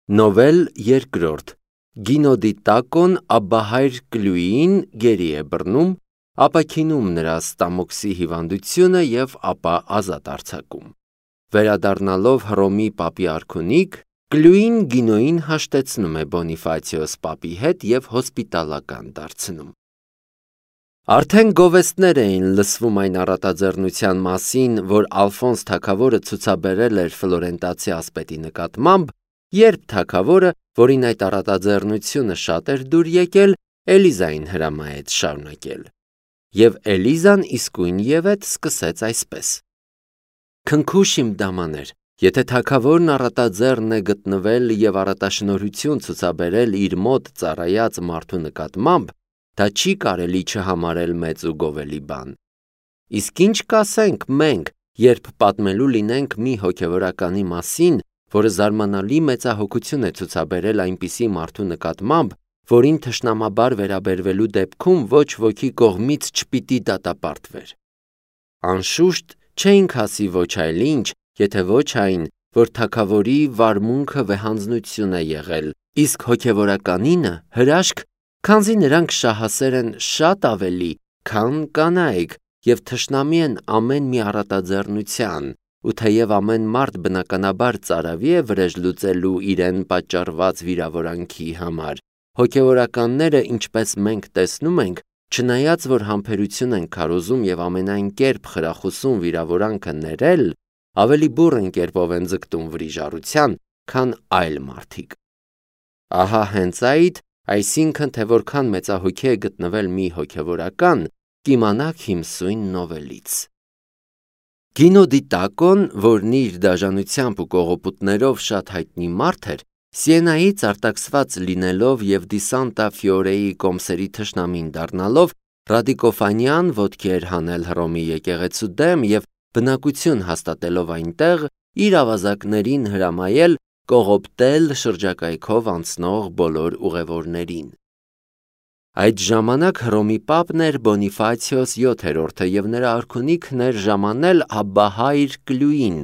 Նովել երկրորդ Գինոդիտակոն Աբբահայր Կլյուիին գերի է բռնում, ապաքինում նրա ստամոքսի հիվանդությունը և ապա ազատ արձակում։ Վերադառնալով Հռոմի պապի արքունիք, Կլյուին Գինոյին հաշտեցնում է Բոնիֆացիոս պապի հետ և հոսպիտալական դարձնում։ Արդեն գովեստներ էին լսվում այն առատաձեռնության մասին, որ Ալֆոնս թագավորը ցուցաբերել էր ֆլորենտացի ասպետի նկատմամբ, երբ թագավորը, որին այդ առատաձեռնությունը շատ էր դուր եկել, Էլիզային հրամայեց շարունակել։ Եվ Էլիզան իսկույնևեթ սկսեց այսպես. «Քնքուշ իմ դամաներ, եթե թագավորն առատաձեռն է գտնվել և առատաշնորհություն ցուցաբերել իր մոտ ծառայած մարդու նկատմամբ, դա չի կարելի չհամարել մեծ ու գովելի բան։ Իսկ ինչ կասենք մենք, երբ պատմելու լինենք մի հոգևորականի մասին, որը զարմանալի մեծահոգություն է ցուցաբերել այնպիսի մարդու նկատմամբ, որին թշնամաբար վերաբերվելու դեպքում ոչ ոքի կողմից չպիտի դատապարտվեր։ Անշուշտ չէինք ասի ոչ այլ ինչ, եթե ոչ այն, որ թագավորի վարմունքը վեհանձնություն է եղել, իսկ հոգևորականինը հրաշք, քանզի նրանք շահասեր են շատ ավելի, քան կանայք և թշնամի են ամեն մի առատաձեռնության, ու թեև ամեն մարդ բնականաբար ծարավի է վրեժ լուծելու իրեն պատճառված վիրավորանքի համար, հոգևորականները, ինչպես մենք տեսնում ենք, չնայած որ համբերություն են քարոզում և ամենայն կերպ խրախուսում վիրավորանքը ներել, ավելի բուռն կերպով են ձգտում վրիժառության, քան այլ մարդիկ։ Ահա հենց այդ, այսինքն թե որքան մեծահոգի է գտնվել մի հոգևորական, կիմանաք իմ սույն նովելից։ Գինոդիտակոն, որն իր դաժանությամբ ու կողոպուտներով շատ հայտնի մարդ էր, Սիենայից արտաքսված լինելով և Դի Սանտա Ֆիորեի կոմսերի թշնամին դառնալով, ռադիկոֆանյան ոտքի էր հանել Հռոմի եկեղեցու դեմ և բնակություն հաստատելով այնտեղ, իր ավազակներին հրամայել կողոպտել շրջակայքով անցնող բոլոր ուղևորներին։ Այդ ժամանակ Հռոմի պապն էր Բոնիֆացիոս 7-րդը և նրա արքունիքն էր ժամանել Աբբահայր Կլյուին,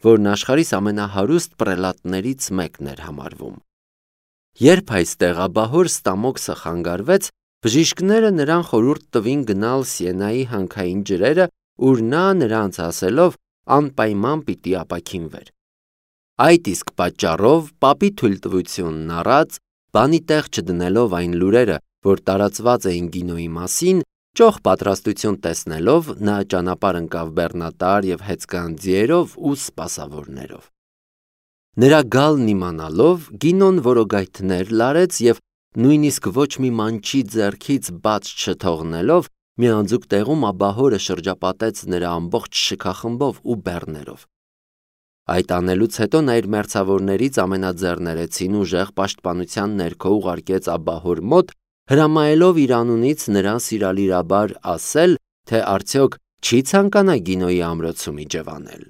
որն աշխարհիս ամենահարուստ պրելատներից մեկն էր համարվում։ Երբ այստեղ աբահոր ստամոքսը խանգարվեց, բժիշկները նրան խորհուրդ տվին գնալ Սիենայի հանքային ջրերը, ուր նա նրանց ասելով անպայման պիտի ապաքինվեր։ Այդ իսկ պատճառով պապի թույլտվությունն առած, բանի տեղ չդնելով այն լուրերը, որ տարածված էին Գինոյի մասին, ճոխ պատրաստություն տեսնելով, նա ճանապարհ ընկավ բեռնատար և հեծկան ձիերով ու սպասավորներով։ Նրա գալն իմանալով, Գինոն որոգայթներ լարեց և նույնիսկ ոչ մի մանչի ձեռքից բաց չթողնելով, մի անձուկ տեղում աբահորը շրջապատեց նրա ամբողջ շքախմբով ու բեռներով։ Այդ անելուց հետո նա իր մերձավորներից ամենաձեռներեցին ուժեղ պաշտպանության ներքո ուղարկեց աբահոր մոտ, հրամայելով իր անունից նրան սիրալիրաբար ասել, թե արդյոք չի ցանկանա Գինոյի ամրոցում իջևանել։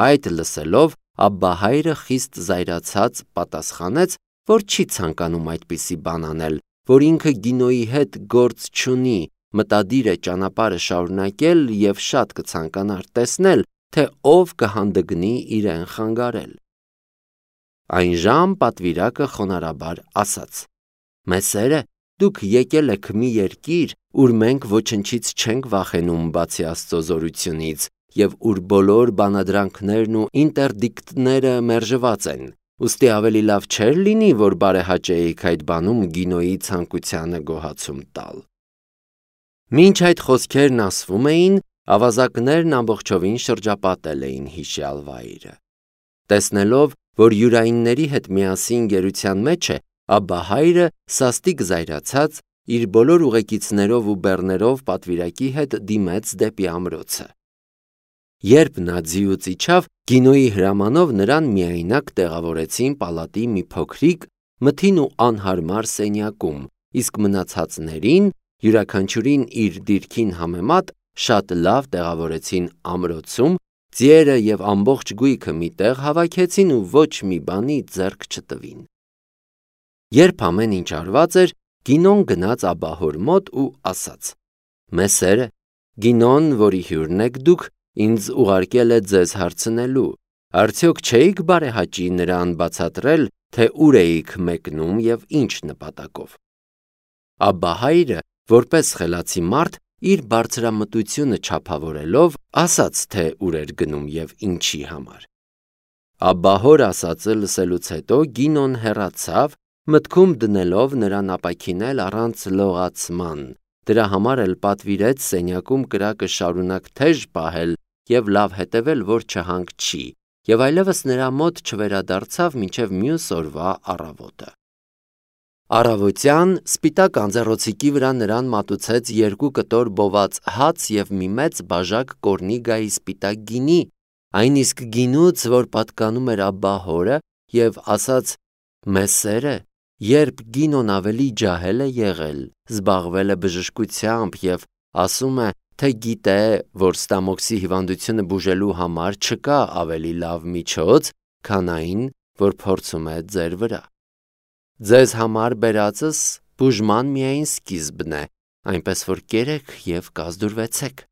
Այդ լսելով, Աբբահայրը խիստ զայրացած պատասխանեց, որ չի ցանկանում այդպիսի բան անել, որ ինքը Գինոյի հետ գործ չունի, մտադիր է ճանապարհը շարունակել և շատ կցանկանար տեսնել, թե ով կհանդգնի իրեն խանգարել։ Այնժամ պատվիրակը խոնարհաբար ասաց. «Մեսերը, դուք եկել եք մի երկիր, ուր մենք ոչնչից չենք վախենում բացի Աստծո զորությունից, և ուր բոլոր բանադրանքներն ու ինտերդիկտները մերժված են, ուստի ավելի լավ չէր լինի, որ բարեհաճեիք այդ բանում Գինոյի ցանկությանը գոհացում տալ»։ Մինչ այդ խոսքերն ասվում էին, ավազակներն ամբողջովին շրջապատել էին հիշյալ վայրը։ Տեսնելով, որ յուրայինների հետ միասին գերության մեջ է, Աբբահայրը սաստիկ զայրացած, իր բոլոր ուղեկիցներով ու բեռներով պատվիրակի հետ դիմեց դեպի ամրոցը։ Երբ նա ձիուց իջավ, Գինոյի հրամանով նրան միայնակ տեղավորեցին պալատի մի փոքրիկ, մթին ու անհարմար սենյակում, իսկ մնացածներին, յուրաքանչյուրին իր դիրքին համեմատ, շատ լավ տեղավորեցին ամրոցում, ձիերը և ամբողջ գույքը մի տեղ հավաքեցին ու ոչ մի բանի ձեռք չտվին։ Երբ ամեն ինչ արված էր, Գինոն գնաց աբահոր մոտ ու ասաց. «Մեսերը, Գինոն, որի հյուրն եք դուք, ինձ ուղարկել է ձեզ հարցնելու, Արդյոք չէիք բարեհաճի նրան բացատրել, թե ուր էիք մեկնում և ինչ նպատակով։ Աբբա հայրը, որպես խելացի մարդ, իր բարձրամտությունը չափավորելով, ասաց, թե ուր էր գնում և ինչի համար։ Աբբա հոր ասածը լսելուց հետո Գինոն հեռացավ, մտքում դնելով նրան ապաքինել առանց լողացման, դրա համար էլ պատվիրեց սենյակում կրակը շարունակ թեժ պահել և լավ հետևել, որ չհանգչի, և այլևս նրա մոտ չվերադարձավ մինչև մյուս օրվա առավոտը։ Առավոտյան սպիտակ անձեռոցիկի վրա նրան մատուցեց 2 կտոր բոված հաց և մի մեծ բաժակ կորնիգայի սպիտակ գինի, այն իսկ գինուց, որ պատկանում էր Աբբա հորը, և ասաց. «Մեսերը, երբ Գինոն ավելի ջահել է եղել, զբաղվել է բժշկությամբ և ասում է, թե գիտե, որ ստամոքսի հիվանդությունը բուժելու համար չկա ավելի լավ միջոց, քան այն, որ փորձում է ձեր վրա։ Ձեզ համար բերածս բուժման միայն սկիզբն է, այնպես որ կերեք և կազդուրվեցեք»։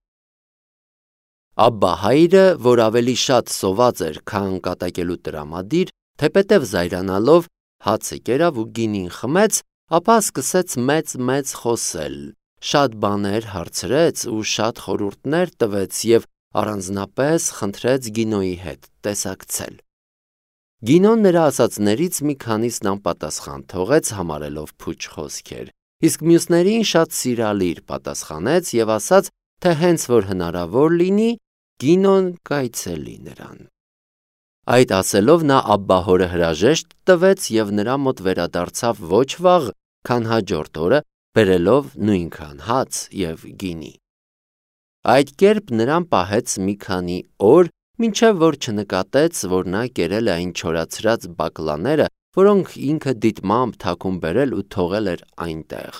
Աբբա հայրը, որ ավելի շատ սոված էր, քան կատակելու տրամադիր, թեպետև զայրանալով, հացը կերավ ու գինին խմեց, ապա սկսեց մեծ խոսել, շատ բաներ հարցրեց ու շատ խորհուրդներ տվեց և առանձնապես խնդրեց Գինոյի հետ տեսակցել։ Գինոն նրա ասածներից մի քանիսն անպատասխան թողեց, համարելով փուչ խոսքեր, իսկ մյուսներին շատ սիրալիր պատասխանեց և ասաց, թե հենց որ հնարավոր լինի, Գինոն կայցելի նրան։ Այդ ասելով նա Աբբա հորը հրաժեշտ տվեց և նրա մոտ վերադարձավ ոչ վաղ, քան հաջորդ օրը, բերելով նույնքան հաց և գինի։ Այդ կերպ նրան պահեց մի քանի օր, մինչև որ չնկատեց, որ նա կերել է այն չորացրած բակլաները, որոնք ինքը դիտմամբ թաքուն բերել ու թողել էր այնտեղ։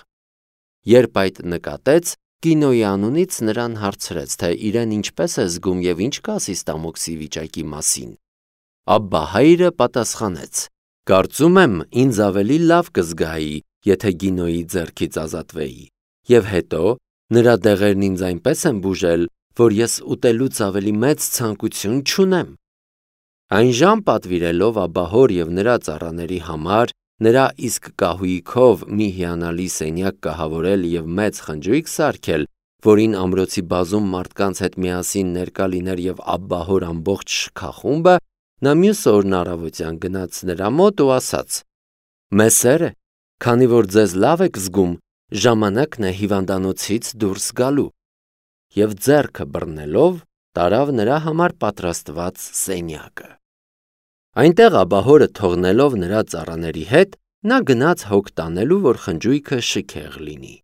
Երբ այդ նկատեց, Գինոյի անունից նրան հարցրեց, թե իրեն ինչպես է զգում և ինչ կասի ստամոքսի վիճակի մասին։ Աբբա հայրը պատասխանեց. «Կարծում եմ, ինձ ավելի լավ կզգայի, եթե Գինոյի ձեռքից ազատվեի, և հետո նրա դեղերն ինձ այնպես են բուժել, որ ես ուտելուց ավելի մեծ ցանկություն չունեմ»։ Այն ժամ պատվիրելով Աբբա հոր և նրա ծառաների համար, նրա իսկ կահույքով մի հիանալի սենյակ կահավորել և մեծ խնջույք սարքել, որին ամրոցի բազում մարդկանց հետ միասին ներկա լիներ և Աբբա հոր ամբողջ շքախումբը, նա մյուս օրն առավոտյան գնաց նրա մոտ ու ասաց. «Մեսերը, քանի որ ձեզ լավ եք զգում, ժամանակն է հիվանդանոցից դուրս գալու»։ Եվ ձեռքը բռնելով, տարավ նրա համար պատրաստված սենյակը։ Այնտեղ Աբբա հորը թողնելով նրա ծառաների հետ, նա գնաց հոգ տանելու, որ խնջույքը շքեղ լինի։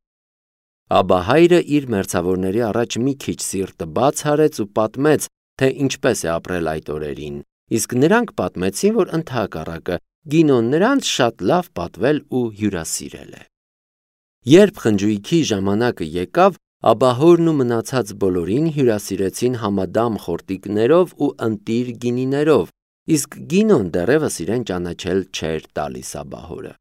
Աբբա հայրը իր մերձավորների առաջ մի քիչ սիրտը բաց արեց ու պատմեց, թե ինչպես է ապրել այդ օրերին, իսկ նրանք պատմեցին, որ ընդհակառակը Գինոն նրանց շատ լավ պատվել ու հյուրասիրել է։ Երբ խնջույքի ժամանակը եկավ, Աբբա հորն ու մնացած բոլորին հյուրասիրեցին համադամ խորտիկներով ու ընտիր գինիներով, իսկ Գինոն դեռևս իրեն ճանաչել չէր տալիս Աբբա հորը։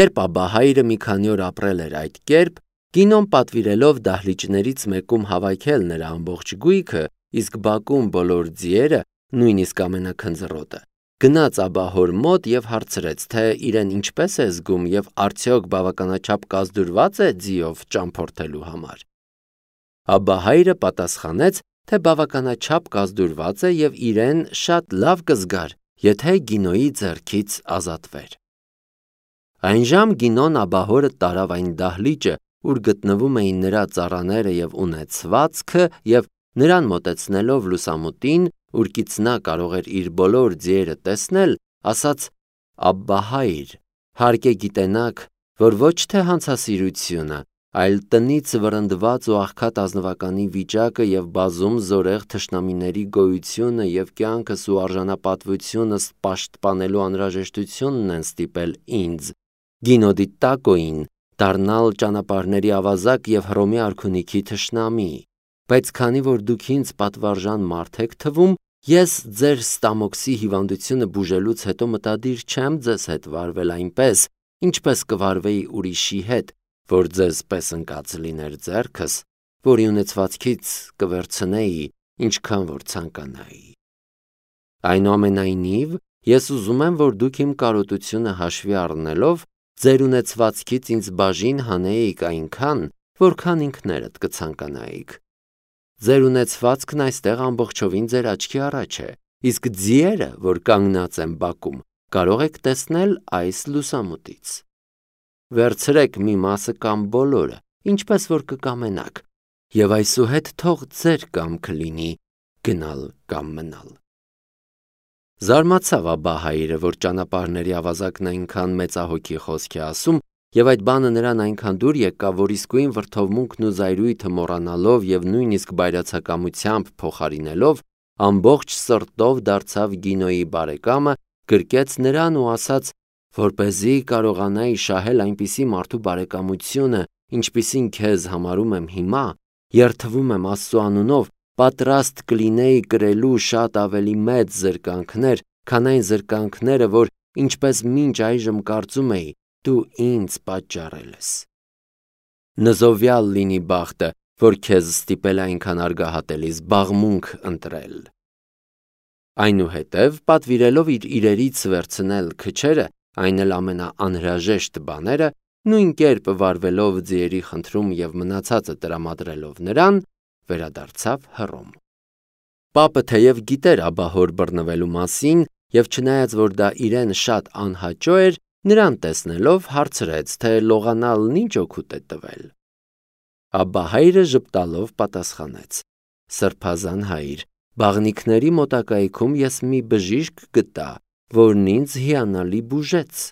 Երբ Աբբա հայրը մի քանի օր ապրել էր այդ կերպ, Գինոն պատվիրելով դահլիճներից մեկում հավաքել նրա ամբողջ գույքը, իսկ բակում բոլոր ձիերը, նույնիսկ ամենաքնձռոտը, գնաց Աբբա հոր մոտ և հարցրեց, թե իրեն ինչպես է զգում և արդյոք բավականաչափ կազդուրվա՞ծ է ձիով ճամփորդելու համար։ Աբբա հայրը պատասխանեց, թե բավականաչափ կազդուրված է և իրեն շատ լավ կզգար, եթե Գինոյի ձեռքից ազատվեր։ Այնժամ Գինոն Աբբա հորը տարավ այն դահլիճը, ուր գտնվում էին նրա ծառաները և ունեցվածքը, և նրան մոտեցնելով լուսամուտին, ուրկից նա կարող էր իր բոլոր ձիերը տեսնել, ասաց. «Աբբա հայր, հարկ է գիտենաք, որ ոչ թե հանցասիրությունը, այլ տնից վռնդված ու աղքատ ազնվականի վիճակը և բազում զորեղ թշնամիների գոյությունը և կյանքս ու արժանապատվությունս պաշտպանելու անհրաժեշտությունն են ստիպել ինձ, Գինո դի Տակոյին, դառնալ ճանապարհների ավազակ և Հռոմի արքունիքի թշնամի, բայց քանի որ դուք ինձ պատվարժան մարդ եք թվում, ես ձեր ստամոքսի հիվանդությունը բուժելուց հետո մտադիր չեմ ձեզ հետ վարվել այնպես, ինչպես կվարվեի ուրիշի հետ, որ ձեզ պես ընկած լիներ ձեռքս, որի ունեցվածքից կվերցնեի, ինչքան որ ցանկանայի։ Այնուամենայնիվ, ես ուզում եմ, որ դուք իմ կարոտությունը հաշվի առնելով ձեր ունեցվածքից ինձ բաժին հանեիք այնքան, որքան ինքներդ կցանկանայիք։ Ձեր ունեցվածքն այստեղ ամբողջովին ձեր աչքի առաջ է, իսկ ձիերը, որ կանգնած են բակում, կարող եք տեսնել այս լուսամուտից։ Վերցրեք մի մասը կամ բոլորը, ինչպես որ կկամենաք, եւ այսուհետ թող ձեր կամքը լինի գնալ կամ մնալ։ Զարմացավ Աբբա հայրը, որ ճանապարհների ավազակն այնքան մեծահոգի խոսք է ասում, եւ այդ բանը նրան այնքան դուր եկավ, որ իսկույն վրդովմունքն ու զայրույթը մոռանալով եւ նույնիսկ բայրացակամությամբ փոխարինելով, ամբողջ սրտով դարձավ Գինոյի բարեկամը, գրկեց նրան ու ասաց, որպեսզի կարողանայի շահել այնպիսի մարդու բարեկամությունը, ինչպիսին քեզ համարում եմ հիմա, երդվում եմ Աստծու անունով, պատրաստ կլինեի կրելու շատ ավելի մեծ զրկանքներ, քան այն զրկանքները, որ ինչպես մինչ այժմ կարծում էի, դու ինձ պատճառել ես։ Նզովյալ լինի բախտը, որ քեզ ստիպել այնքան արգահատելի զբաղմունք ընտրել։ Այնուհետև, պատվիրելով իր իրերից վերցնել քչերը, այն էլ ամենաանհրաժեշտ բաները, նույն կերպ վարվելով ձիերի խնդրում եւ մնացածը տրամադրելով նրան, վերադարձավ Հռոմ։ Պապը թեև գիտեր Աբբահոր բռնվելու մասին եւ չնայած որ դա իրեն շատ անհաճո էր, նրան տեսնելով հարցրեց, թե լողանալն ինչ օգուտ է տվել։ Աբբա հայրը ժպտալով պատասխանեց. Սրբազան հայր, բաղնիքների մոտակայքում ես մի բժիշկ գտա, որն ինձ հիանալի բուժեց,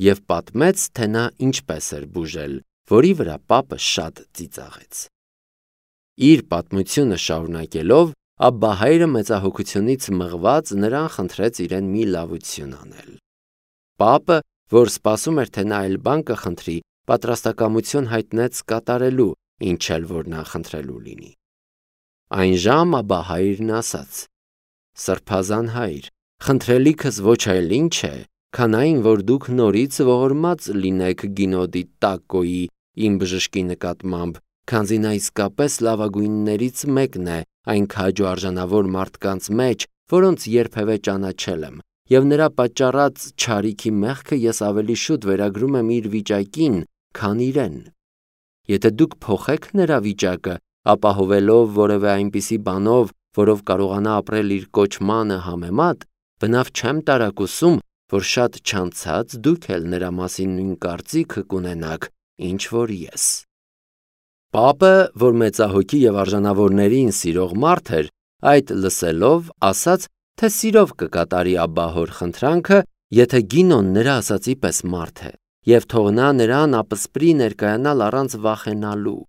եւ պատմեց, թե նա ինչպես էր բուժել, որի վրա պապը շատ ծիծաղեց։ Իր պատմությունը շարունակելով, Աբբա հայրը մեծահոգությունից մղված նրան խնդրեց իրեն մի լավություն անել։ Պապը, որ սպասում էր, թե նա այլ բան կխնդրի, պատրաստակամություն հայտնեց կատարելու, ինչ էլ որ նա խնդրելու լինի։ Այն ժամ Աբբա հայրն ասաց. Սրբազան հայր, խնդրելիքս ոչ այլ ինչ է, քան այն, որ դուք նորից ողորմած լինեք Գինոդի Տակոյի իմ բժշկի նկատմամբ, քանզի նա իսկապես լավագույններից մեկն է այն քաջո արժանավոր մարդկանց մեջ, որոնց երբևէ ճանաչել եմ, եւ նրա պատճառած չարիքի մեղքը ես ավելի շուտ վերագրում եմ իր վիճակին, քան իրեն։ Եթե դուք փոխեք նրա վիճակը, ապահովելով որևէ այնպիսի բանով, որով կարողանա ապրել իր կոչմանը համեմատ, բնավ չեմ տարակուսում, որ շատ չանցած դուք էլ նրա մասին նույն կարծիքը կունենաք, ինչ որ ես։ Պապը, որ մեծահոգի եւ արժանավորներին սիրող մարդ էր, այդ լսելով ասաց, թե սիրով կկատարի Աբբահոր խնդրանքը, եթե Գինոն նրա ասացի պես մարդ է, եւ թող նա նրան ապսպրի ներկայանալ առանց վախենալու։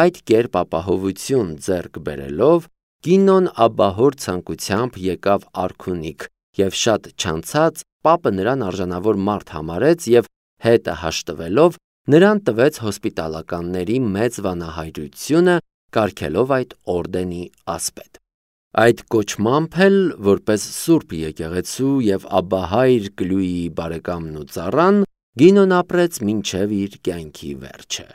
Այդ կերպ ապահովություն ձեռք բերելով, Գինոն Աբբահոր ցանկությամբ եկավ արքունիք, եւ շատ չանցած պապը նրան արժանավոր մարդ համարեց եւ հետը հաշտվելով նրան տվեց հոսպիտալականների մեծ վանահայրությունը, կարգելով այդ օրդենի ասպետ։ Այդ կոչմամբ էլ, որպես Սուրբ եկեղեցու եւ Աբբա հայր Կլույի բարեկամն ու ծառան, Գինոն ապրեց մինչև իր կյանքի վերջը։